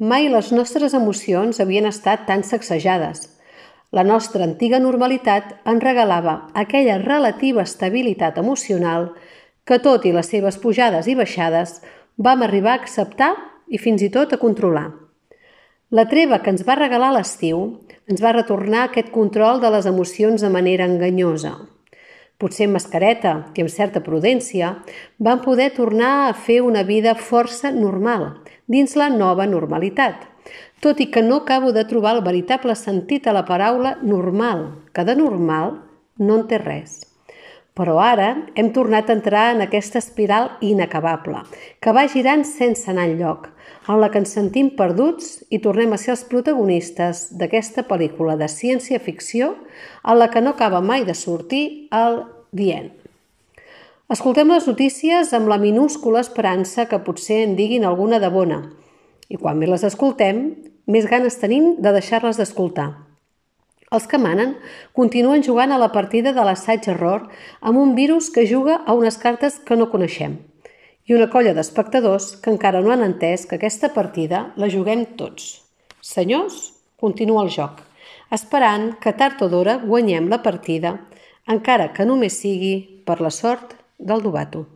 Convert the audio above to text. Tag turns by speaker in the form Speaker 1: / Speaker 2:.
Speaker 1: Mai les nostres emocions havien estat tan sacsejades. La nostra antiga normalitat ens regalava aquella relativa estabilitat emocional que, tot i les seves pujades i baixades, vam arribar a acceptar i fins i tot a controlar. La treva que ens va regalar l'estiu ens va retornar aquest control de les emocions de manera enganyosa. Potser amb mascareta i amb certa prudència, vam poder tornar a fer una vida força normal, dins la nova normalitat, tot i que no acabo de trobar el veritable sentit a la paraula normal, que de normal no en té res. Però ara hem tornat a entrar en aquesta espiral inacabable, que va girant sense anar enlloc, en la que ens sentim perduts i tornem a ser els protagonistes d'aquesta pel·lícula de ciència-ficció en la que no acaba mai de sortir el dient. Escoltem les notícies amb la minúscula esperança que potser en diguin alguna de bona, i quan més les escoltem, més ganes tenim de deixar-les d'escoltar. Els que manen continuen jugant a la partida de l'assaig-error amb un virus que juga a unes cartes que no coneixem i una colla d'espectadors que encara no han entès que aquesta partida la juguem tots. Senyors, continua el joc, esperant que tard o d'hora guanyem la partida, encara que només sigui per la sort del novato.